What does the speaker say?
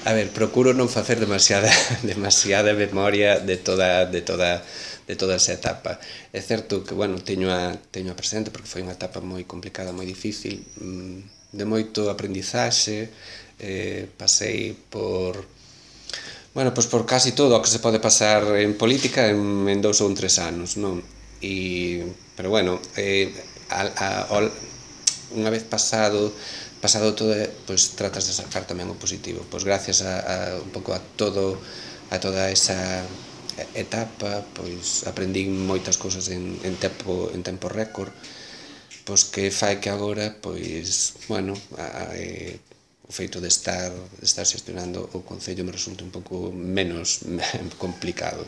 A ver, procuro non facer demasiada memoria de toda esa etapa. É certo que, bueno, teño a presente porque foi unha etapa moi complicada, moi difícil, de moito aprendizaxe, pasei por, bueno, pois por casi todo o que se pode pasar en política en 2 ou 3 anos, non? Pero bueno, unha vez pasado todo, pois tratas de sacar tamén o positivo. Pois gracias un pouco a toda esa etapa, pois aprendín moitas cousas en tempo récord, pois que fai que agora, pois, bueno, o feito de estar xestionando o Concello me resulta un pouco menos complicado.